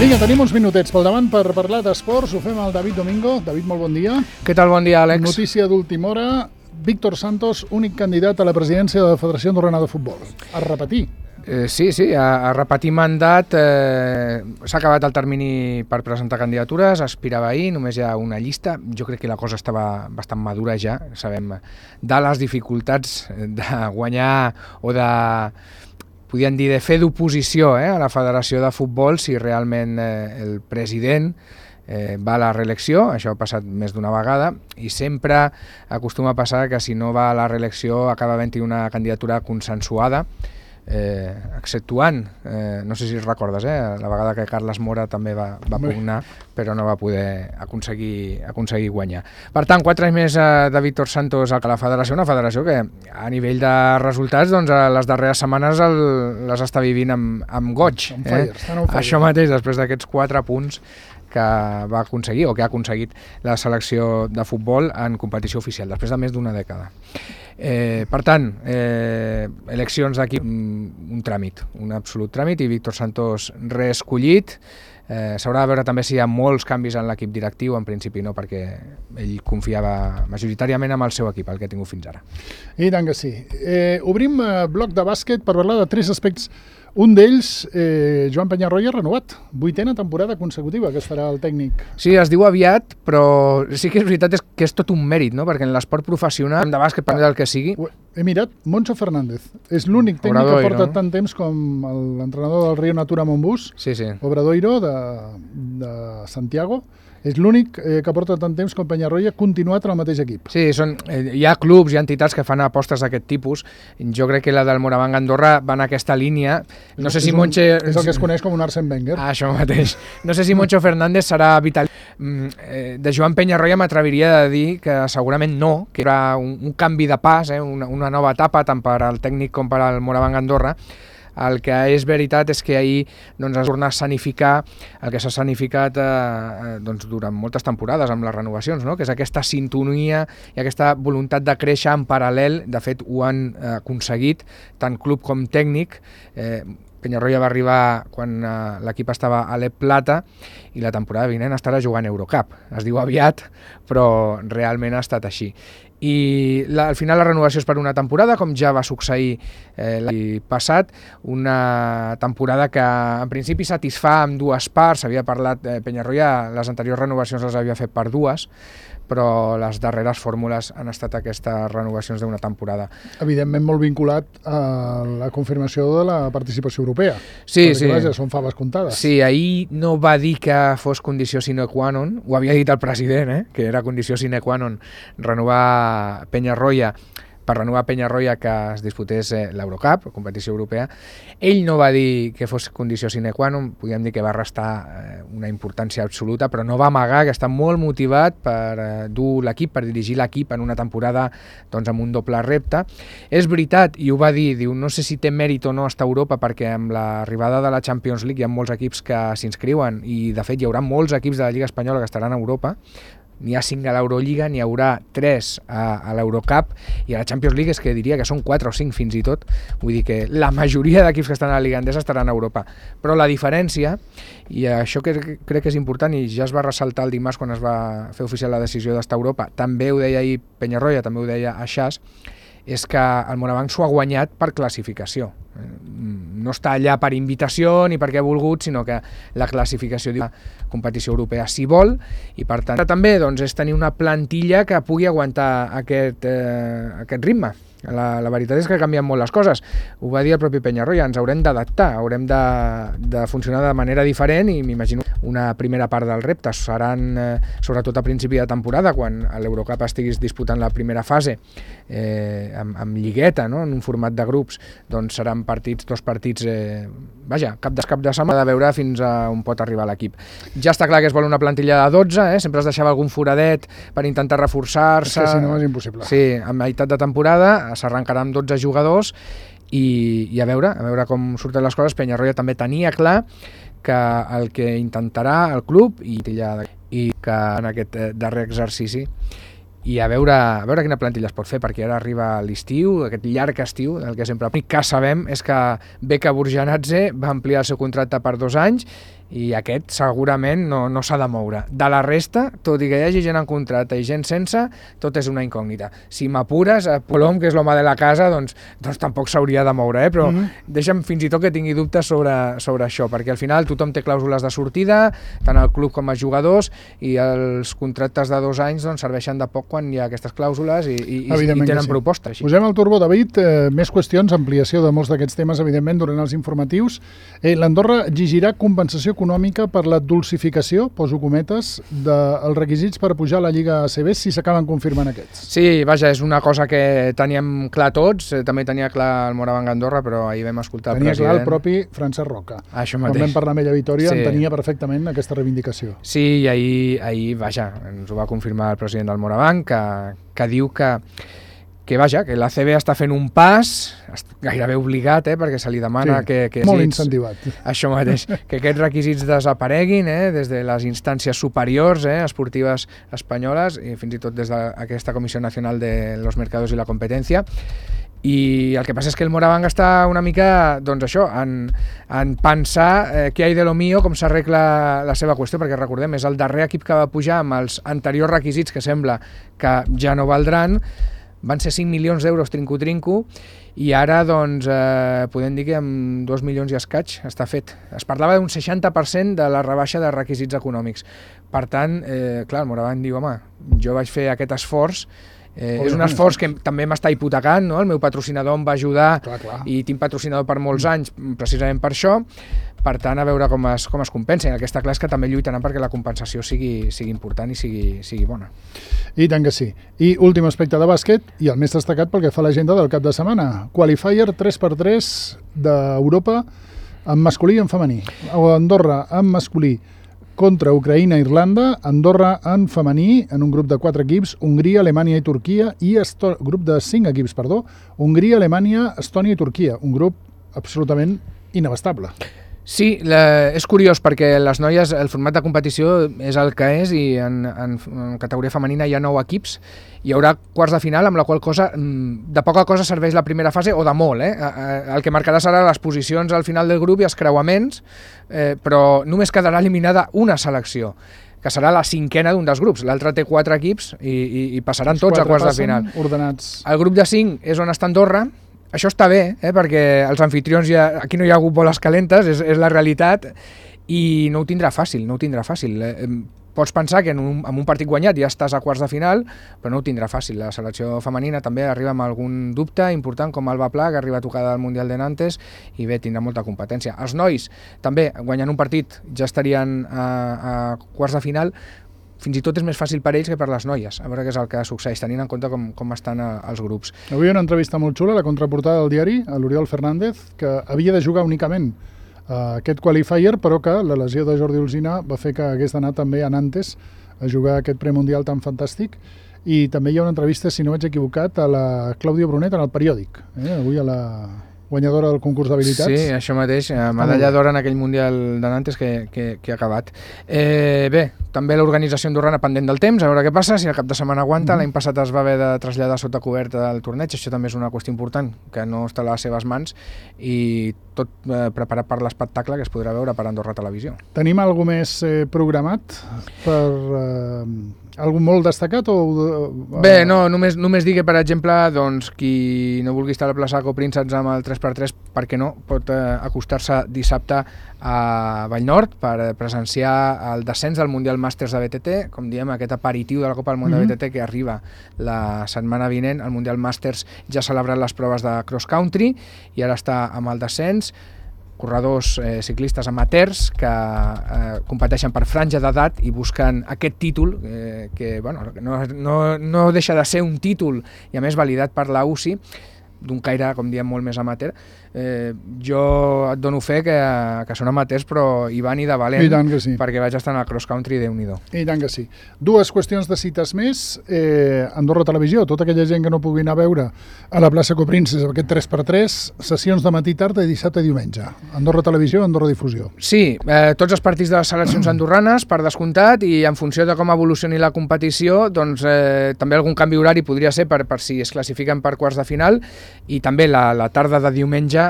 Vinga, tenim uns minutets pel davant per parlar d'esports. Ho fem al David Domingo. David, molt bon dia. Què tal? Bon dia, Àlex. Notícia d'última hora. Víctor Santos, únic candidat a la presidència de la Federació Andorrana de Futbol. A repetir. Sí, a repetir mandat. S'ha acabat el termini per presentar candidatures, aspirava ahir, només hi ha una llista. Jo crec que la cosa estava bastant madura ja. Sabem de les dificultats de guanyar o de... podríem dir de fer d'oposició a la Federació de Futbol si realment el president va a la reelecció. Això ha passat més d'una vegada i sempre acostuma a passar que si no va a la reelecció acaba havent-hi una candidatura consensuada, exceptuant, no sé si recordes, la vegada que Carles Mora també va pugnar, però no va poder aconseguir guanyar. Per tant, 4 anys més de Víctor Santos a la federació, una federació que a nivell de resultats doncs, les darreres setmanes les està vivint amb goig. Això mateix, després d'aquests 4 punts que va aconseguir o que ha aconseguit la selecció de futbol en competició oficial, després de més d'una dècada. Per tant, eleccions d'aquí, un tràmit, un absolut tràmit, i Víctor Santos reescollit. S'haurà de veure també si hi ha molts canvis en l'equip directiu, en principi no, perquè ell confiava majoritàriament amb el seu equip, el que ha tingut fins ara. I tant que sí. Obrim bloc de bàsquet per parlar de 3 aspectes. Un d'ells, Joan Peñarroya, renovat. 8ª temporada consecutiva que es farà el tècnic. Sí, es diu aviat, però sí que és veritat que és tot un mèrit, no? Perquè en l'esport professional de bàsquet, per del que sigui... He mirat, Moncho Fernández. És l'únic tècnic que porta tant temps com l'entrenador del Río Natura Montbus, Obradoiro, de Santiago. És l'únic que porta tant temps com Peñarroya continuat en el mateix equip. Sí, hi ha clubs, hi ha entitats que fan apostes d'aquest tipus. Jo crec que la del Moravang Andorra va en aquesta línia. No sé si Moncho... És el que es coneix com un Arsène Wenger. Això mateix. No sé si Moncho Fernández serà vital. De Joan Peñarroya m'atreviria de dir que segurament no, que era un canvi de pas, una nova etapa tant per al tècnic com per al Moravang Andorra. El que és veritat és que ahir es torna a sanificar el que s'ha sanificat durant moltes temporades amb les renovacions, que és aquesta sintonia i aquesta voluntat de créixer en paral·lel. De fet, ho han aconseguit tant club com tècnic. Peñarroya va arribar quan l'equip estava a l'Ep Plata i la temporada vinent estarà jugant Eurocup. Es diu aviat, però realment ha estat així. I al final la renovació és per una temporada, com ja va succeir l'any passat, una temporada que en principi satisfà amb 2 parts. Havia parlat Peñarroya, les anteriors renovacions les havia fet per 2, però les darreres fórmules han estat aquestes renovacions d'una temporada. Evidentment molt vinculat a la confirmació de la participació europea. Sí, perquè, vaja, són faves comptades. Sí, ahir no va dir que fos condició sine qua non, ho havia dit el president, que era condició sine qua non renovar Peñarroya, per renovar Peñarroya que es disputés l'Eurocup, competició europea. Ell no va dir que fos condició sine qua non, podríem dir que va restar una importància absoluta, però no va amagar que està molt motivat per dur l'equip, per dirigir l'equip en una temporada amb un doble repte. És veritat, i ho va dir, diu, no sé si té mèrit o no estar a Europa, perquè amb l'arribada de la Champions League hi ha molts equips que s'inscriuen i de fet hi haurà molts equips de la Lliga Espanyola que estaran a Europa. N'hi ha 5 a l'Eurolliga, n'hi haurà 3 a l'Eurocup i a la Champions League és que diria que són 4 o 5 fins i tot. Vull dir que la majoria d'equips que estan a la Lliga Endesa estaran a Europa. Però la diferència, i això que crec que és important i ja es va ressaltar el dimarts quan es va fer oficial la decisió d'estar a Europa, també ho deia ahir Peñarroya, també ho deia Aixàs, és que el Moravang s'ho ha guanyat per classificació. No està allà per invitació ni perquè ha volgut, sinó que la classificació de la competició europea s'hi vol i per tant també és tenir una plantilla que pugui aguantar aquest ritme. La veritat és que canvien molt les coses. Ho va dir el propi Peñarroya, ens haurem d'adaptar, haurem de funcionar de manera diferent i m'imagino una primera part del repte seran sobretot a principi de temporada, quan a l'Eurocup estiguis disputant la primera fase amb lligueta, en un format de grups, doncs seran dos partits, cap de setmana, de veure fins a on pot arribar l'equip. Ja està clar que es vol una plantilla de 12, sempre es deixava algun foradet per intentar reforçar-se. És que si no és impossible. Sí, a meitat de temporada s'arrencarà amb 12 jugadors i a veure com surten les coses. Peñarroya també tenia clar que el que intentarà el club i que en aquest darrer exercici i a veure quina plantilla es pot fer, perquè ara arriba l'estiu, aquest llarg estiu, el que sempre que sabem és que Beka Burjanadze va ampliar el seu contracte per 2 anys i aquest segurament no s'ha de moure. De la resta, tot i que hi hagi gent en contracte i gent sense, tot és una incògnita. Si m'apures, Polom, que és l'home de la casa, doncs tampoc s'hauria de moure, però deixa'm fins i tot que tingui dubtes sobre això, perquè al final tothom té clàusules de sortida, tant el club com els jugadors, i els contractes de 2 anys doncs, serveixen de poc quan hi ha aquestes clàusules i tenen propostes. Posem el turbo, David. Més qüestions, ampliació de molts d'aquests temes, evidentment, durant els informatius. L'Andorra exigirà compensació econòmica per la dulcificació, poso cometes, dels requisits per pujar a la Lliga ACB si s'acaben confirmant aquests. Sí, vaja, és una cosa que teníem clar tots, també tenia clar el Morabanc Andorra, però ahir vam escoltar el president. Tenia clar el propi Francesc Roca. Això mateix. Quan vam parlar amb ella a Vitòria, entenia perfectament aquesta reivindicació. Sí, i ahir, vaja, ens ho va confirmar el president del Morabanc, que diu que l'ACB està fent un pas, gairebé obligat, perquè se li demana que molt incentivat. Això mateix, que aquests requisits desapareguin des de les instàncies superiors esportives espanyoles i fins i tot des d'aquesta Comissió Nacional de los Mercados i la Competència. I el que passa és que el Morabanc està una mica, doncs això, en pensar què hi ha de lo mío, com s'arregla la seva qüestió, perquè recordem, és el darrer equip que va pujar amb els anteriors requisits que sembla que ja no valdran. Van ser 5 milions d'euros trinco-trinco i ara doncs podem dir que amb 2 milions i escaig està fet. Es parlava d'un 60% de la rebaixa de requisits econòmics. Per tant, clar, el Morabanc diu, home, jo vaig fer aquest esforç, és un esforç que també m'està hipotecant, no? El meu patrocinador em va ajudar i tinc patrocinador per molts anys precisament per això. Per tant, a veure com es compensa. El que està clar és que també lluitaran perquè la compensació sigui important i sigui bona. I tant que sí. I últim aspecte de bàsquet, i el més destacat pel que fa a l'agenda del cap de setmana. Qualifier 3x3 d'Europa en masculí i en femení. Andorra en masculí contra Ucraïna i Irlanda, Andorra en femení, en un grup de 4 equips, Hongria, Alemanya i Turquia, i grup de 5 equips, Hongria, Alemanya, Estònia i Turquia. Un grup absolutament inabastable. Sí, és curiós perquè les noies, el format de competició és el que és i en categoria femenina hi ha 9 equips. Hi haurà quarts de final, amb la qual cosa de poca cosa serveix la primera fase o de molt. El que marcarà serà les posicions al final del grup i els creuaments, però només quedarà eliminada una selecció, que serà la 5ena d'un dels grups. L'altre té 4 equips i passaran tots a quarts de final. Ordenats. El grup de 5 és on està Andorra. Això està bé, perquè els anfitrions aquí no hi ha hagut boles calentes, és la realitat, i no ho tindrà fàcil, Pots pensar que en un partit guanyat ja estàs a quarts de final, però no ho tindrà fàcil. La selecció femenina també arriba amb algun dubte important, com Alba Pla, que arriba tocada al Mundial de Nantes, i bé, tindrà molta competència. Els nois, també, guanyant un partit, ja estarien a quarts de final. Fins i tot és més fàcil per ells que per les noies, a veure què és el que succeeix, tenint en compte com estan els grups. Avui una entrevista molt xula, la contraportada del diari, a l'Oriol Fernández, que havia de jugar únicament aquest qualifier, però que la lesió de Jordi Alsina va fer que hagués d'anar també a Nantes a jugar aquest premundial tan fantàstic. I també hi ha una entrevista, si no vaig equivocat, a la Clàudia Brunet en el periòdic, avui a la guanyadora del concurs d'habilitats. Sí, això mateix, medalla d'or en aquell Mundial de Nantes que ha acabat. Bé, també l'organització andorrana pendent del temps, a veure què passa, si el cap de setmana aguanta. L'any passat es va haver de traslladar sota coberta del torneig, això també és una qüestió important, que no està a les seves mans, i tot preparat per l'espectacle que es podrà veure per Andorra Televisió. Tenim alguna més programat per algun molt destacat? Bé, no, només dir que, per exemple, doncs, qui no vulgui estar a la plaça Coprínceps amb el 3x3, per què no, pot acostar-se dissabte a Vallnord per presenciar el descens del Mundial Màsters de BTT, com diem, aquest aperitiu de la Copa del Món de BTT que arriba la setmana vinent. El Mundial Màsters ja ha celebrat les proves de cross country i ara està amb el descens. Corredors ciclistes amateurs que competeixen per franja d'edat i busquen aquest títol que no deixa de ser un títol i a més validat per la UCI, d'un caire, com diem, molt més amateur. Jo et dono fe que són amateurs, però hi van i de valent, sí, perquè vaig estar en el cross country, Déu-n'hi-do. I tant que sí. 2 qüestions de cites més. Andorra Televisió, tota aquella gent que no pugui anar a veure a la plaça Coprínceps aquest 3x3, sessions de matí, tarda i dissabte i diumenge. Andorra Televisió, Andorra Difusió. Sí, tots els partits de les seleccions andorranes, per descomptat, i en funció de com evolucioni la competició, doncs també algun canvi horari podria ser per si es classifiquen per quarts de final. i també la tarda de diumenge,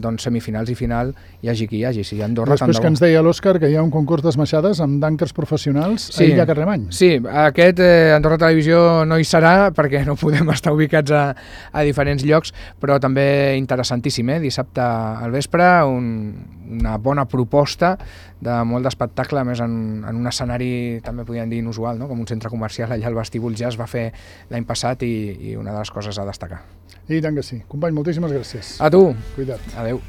doncs semifinals i final, hi hagi qui hi hagi. Si Andorra, després que ens deia l'Òscar que hi ha un concurs d'esmaixades amb d'àncers professionals a Illa Carlemany. Sí, aquest Andorra Televisió no hi serà perquè no podem estar ubicats a diferents llocs, però també interessantíssim, dissabte al vespre, una bona proposta de molt d'espectacle, a més en un escenari també podríem dir inusual, no? Com un centre comercial allà al vestíbul ja es va fer l'any passat i una de les coses a destacar. I tant que sí. Company, moltíssimes gràcies. A tu. Cuida't. Adéu.